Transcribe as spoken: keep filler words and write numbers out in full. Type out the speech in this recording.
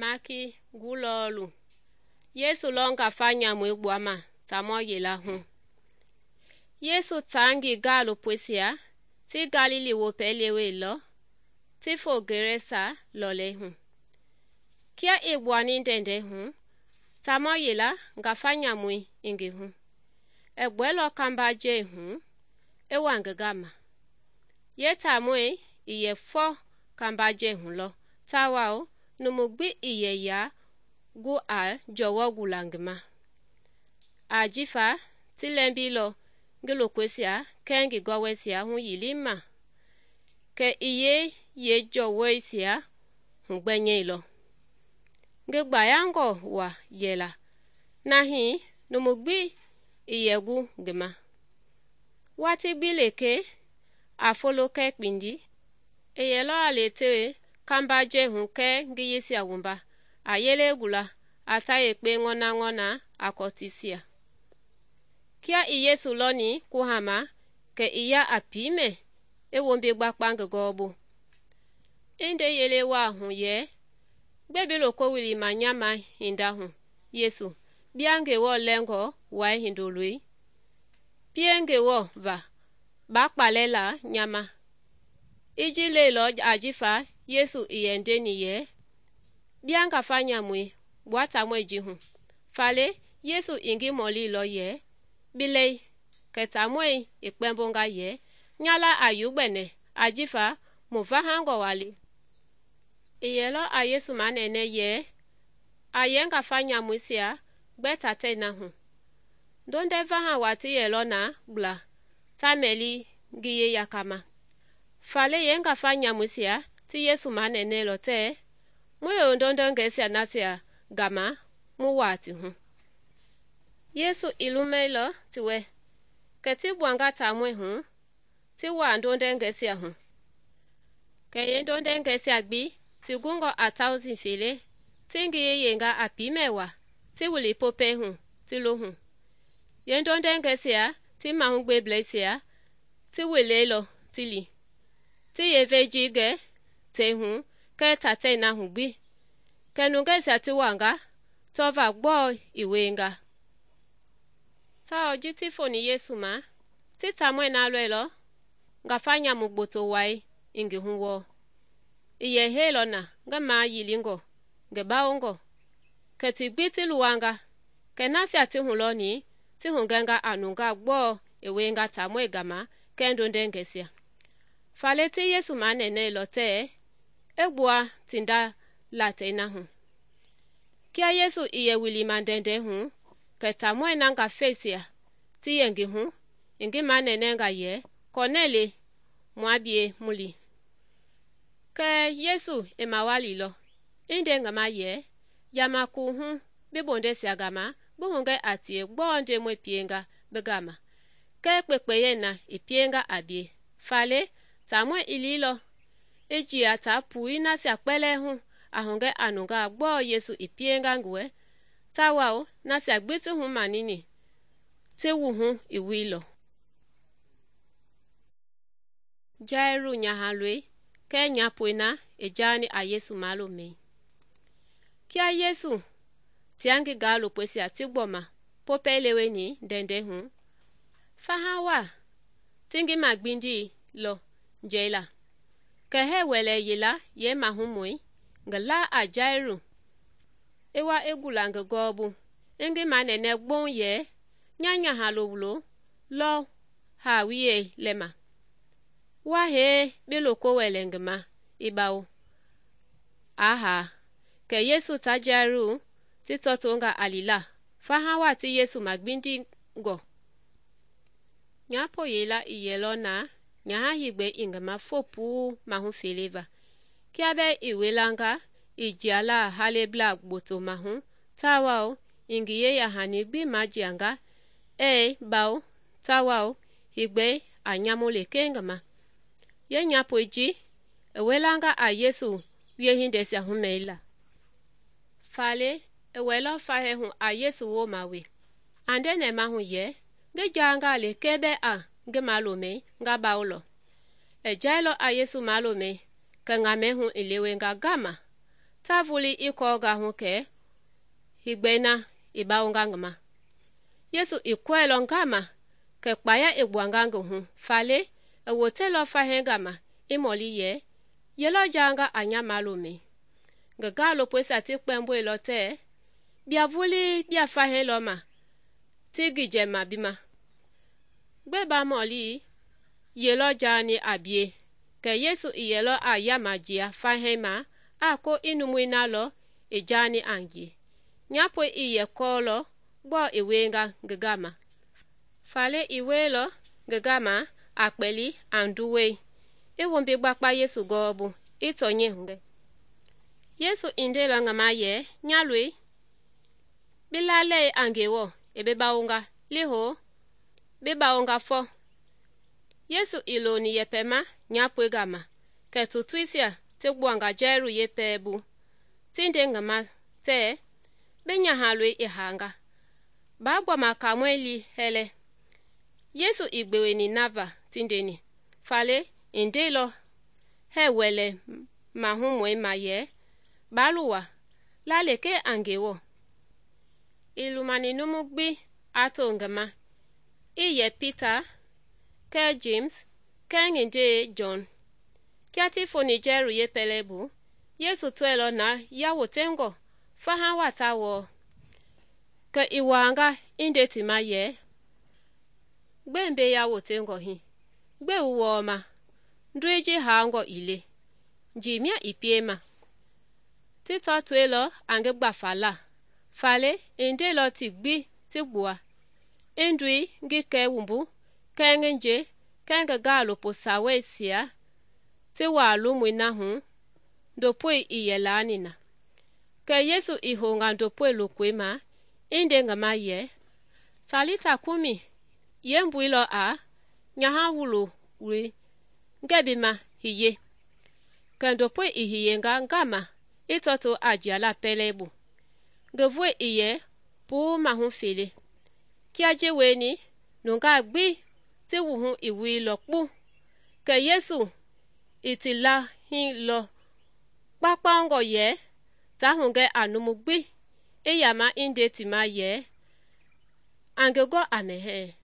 Maki gulɔlu Yesu lɔ ngafa nyamui gbuama taamɔ yila hu. Yesu taa ngi gaalopoisia ti Galili wopɛi leweilɔ ti fo Gerasa lɔlei hu. Kia i gbuani ndɛndɛi hu, taamɔ yila ngafa nyamui i ngi hu. I gbɔɛilɔ kambajɛi hu i wa ngi gama. Yeetaamɔi i yɛ fɔ kambajɛi hu lɔ tawao numu gbi i yɛ yaa gu a jɔwɔ gula ngi ma. Ajifa ti lɛmbilɔ ngi lokoisia kɛɛ ngi gɔwɔisia huyilima, kɛ i yee yeejɔwɔisia hugbɛnyɛilɔ. Ngi gbayangɔ wa yɛla na hii numu gbi i yɛ gu ngi ma. Watii gbi lekee a folo kɛɛ kpindi, i yɛlɔ a le tewe kambajɛi hu kɛɛ ngiyisia wumba a yele gula a ta yekpe ŋɔnaŋɔna a kɔtisia. Kia i Yesu lɔni kuhama, kɛ i ya a piimɛ i wombi gbakpa ngi gɔɔbu. I nde yele waa hu yɛ, "Gbe bi loko wilima nya ma hinda hu, Yesu, bia Ngewɔ Lɛngɔ Wai Hindoloi? Pie Ngewɔ va, ba kpalɛ la nya ma." I ji leilɔ ajifa Yesu i yɛ ndeni yɛ, "Bia ngafa nyamui gbua taamɔi ji hu." Faale Yesu i ngi mɔlilɔ yɛ, "Bi lɛi?" Kɛ taamɔi i kpɛmbonga yɛ, "Nya la a yu gbɛnɛ ajifa mu vahangɔ wa le." I yɛlɔ a Yesu manɛnɛ yɛ, a yɛ ngafa nyamuisia gbɛ tatɛi na hu. Ndondɛ vaha wa ti yɛlɔ na gbla ta mɛli ngi yeyakama. Faale yee ngafa nyamuisia ti Yesu manɛnɛlɔ tɛɛ, "Mu yewe ndondɛngɛisia nasia gama mu waa ti hu." Yesu i lumɛilɔ ti wɛ, kɛ ti gbuanga taamɔi hu ti waa ndondɛngɛisia hu. Kɛ yeendondɛngɛisia gbi ti gungɔ a tausi fele ti ngi yeyenga a piimɛ wa ti wili popɛi hu ti lo hu. Yeendondɛngɛisia ti mahugbeblɛisia ti weleilɔ ti li, ti yevei ji gɛ tei hu kɛɛ tatɛi na hu gbi, kɛ nungɛisia ti wanga tɔva gbɔɔ i wienga. Tawao ji ti foni Yesu ma, ti taamɔi na lɔilɔ ngafa nyamu gboto wai i ngi hu wɔɔ. I yɛ heilɔ na ngi mayilingɔ ngi bawongɔ, kɛ ti gbi ti luwanga, kɛ nasia ti hulɔni ti hugɛnga a nungaa gbɔɔ i wienga taamɔi gama kɛɛ ndondɛngɛisia. Faale ti Yesu manɛnɛilɔ tɛɛ i gbua ti nda latei na hu. Kia Yesu i yɛ wilima ndɛndɛi hu, kɛ taamɔi na ngafeisia ti yɛ ngi hu i ngi manɛnɛnga yɛ, "Kɔnɛle, mua bie mu li." Kɛ Yesu i mawalilɔ, i nde ngi ma yɛ, "Yama kuuhu bi bondɛisia gama bi hugɛ a tie gbɔɔ Ndemɔi pienga bi gama, kɛɛ kpekpeyɛi na i pienga a bie." Faale taamɔi i liilɔ i jia taa pui nasia kpɛlɛɛ hu a hugɛ a nungaa gbɔɔ Yesu i pienga ngi wɛ, tawao nasia gbi ti humanini ti wuhu i wuilɔ. Jairu nyahaloi kɛɛ nyapoi na i jaani a Yesu malomɛi. Kia Yesu tia ngi gaalopoisia ti gbɔma popɛi leweni ndɛndɛi hu, faha wa ti ngi magbindii lɔ njɛila, kɛ hɛɛ wɛlɛ yila yeemahumɔi ngi laa a Jairu i wa i gula ngi gɔɔbu i ngi manɛnɛ gboŋ yɛ, "Nya nyahalo lɔ haa wiyei lɛma. Wa hee bi loko wɛlɛ ngi ma i bawo." Aa haa, kɛ Yesu ta Jairu ti tɔtonga a lila faha wa ti Yesu magbindingɔ. Nyapo yila i yɛlɔ na nyaha hegbɛi i ngi ma fo puu mahu fele va. Kia bɛɛ i welanga i jia la haleblaa gboto mahu tawao i ngi yeyahani gbi majianga ɛɛ bawo tawao hegbɛi a nyamu lekee ngi ma. Yenyapoi ji i welanga a Yesu wiehindɛisia humɛila. Faale i wɛlɔ fahɛ hu a Yesu wooma we. A nde nɛmahu yɛ, "Ngi jaanga lekee bɛɛ a ngi malomɛi nga bawolɔ." I jailɔ a Yesu malomɛi, kɛ ŋamɛi hu i lewenga gama ta vulii i kɔɔnga hu kɛ higbɛi na i bawonga ngi ma. Yesu i kɔɛilɔ ngama kɛ kpaya i gbuanga ngi hu, faale i woteilɔ fahii gama i mɔli yɛ, ye lɔ jaanga a nya malomɛi? Ngi gaalopoisia ti kpɛmboilɔ tɛɛ, bia vulii bia fahii lɔ ma ti ngi jɛma bi ma. Gbɛe ba mɔli ye lɔ jaani a bie? Kɛ Yesu i yɛlɔ a yama jia fahii ma a ko i numui na lɔ i jaani a ngie. Nyapoi i yɛ kɔɔlɔ gbɔɔ i wienga ngi gama, faale i wieilɔ ngi gama a kpɛli a nduwɔi, i wombi gbakpa Yesu gɔɔbu, i tɔnyɛi hugɛ. Yesu i ndeilɔ ngi ma yɛ, nya loi, bi lalei a Ngewɔ i bi bawonga, lihoo, bi bawonga fɔ. Yesu i loni yɛpɛma nyapoi gama, kɛ tutuisia ti gbuanga Jɛru yeepɛlɛbu bu, ti nde ngi ma tɛɛ, bi nyahaloi i haanga, baa gbɔma Kaamɔi lii hɛlɛ. Yesu i gbeweni na va ti ndeni, faale i ndeilɔ hɛɛ wɛlɛmahumɔi ma yɛ, baa luwa, la lekee a Ngewɔ. I lumani numu gbi a to ngi ma, i yɛ Pita, kɛɛ James, kɛɛ ngi ndee Jɔn. Kia ti foni Jɛru yeepɛlɛbu bu, Yesu tɔɛilɔ na yawotengɔ faha wa ta wɔɔ, kɛ i waanga i nde ti ma yɛ, gbɛe mbei yawotengɔ hii? Gbɛe wu wɔɔma? Ndoi ji haangɔ ii le, njii mia i piema. Ti tɔtoilɔ a ngi gbafa la, faale i ndeilɔ ti gbi ti gbua, i ndoi ngi kɛɛ wumbu, kɛɛ ngi nje, kɛɛ ngi gaalopo saweisia ti waa lomui na hu, ndopoi i yɛ laani na. Kɛ Yesu i hounga ndopoi lokoi ma, i nde ngi ma yɛ, Talita kumi, yeembui lɔ a, nyaha wulowoi, ngɛ bi ma hiye. Kɛ ndopoi i hiyenga ngama i tɔto a jiala pɛlɛbu, ngi voi i yɛ puu mahu fele. Kia ji wieni, nungaa gbi ti wuhu i wuilɔ kpu. Kɛ Yesu i ti lahilɔ kpaukpaungɔ yɛ, ta hugɛ a numu gbi, i yama i nde ti ma yɛ, a ngi gɔ a mɛhɛɛ.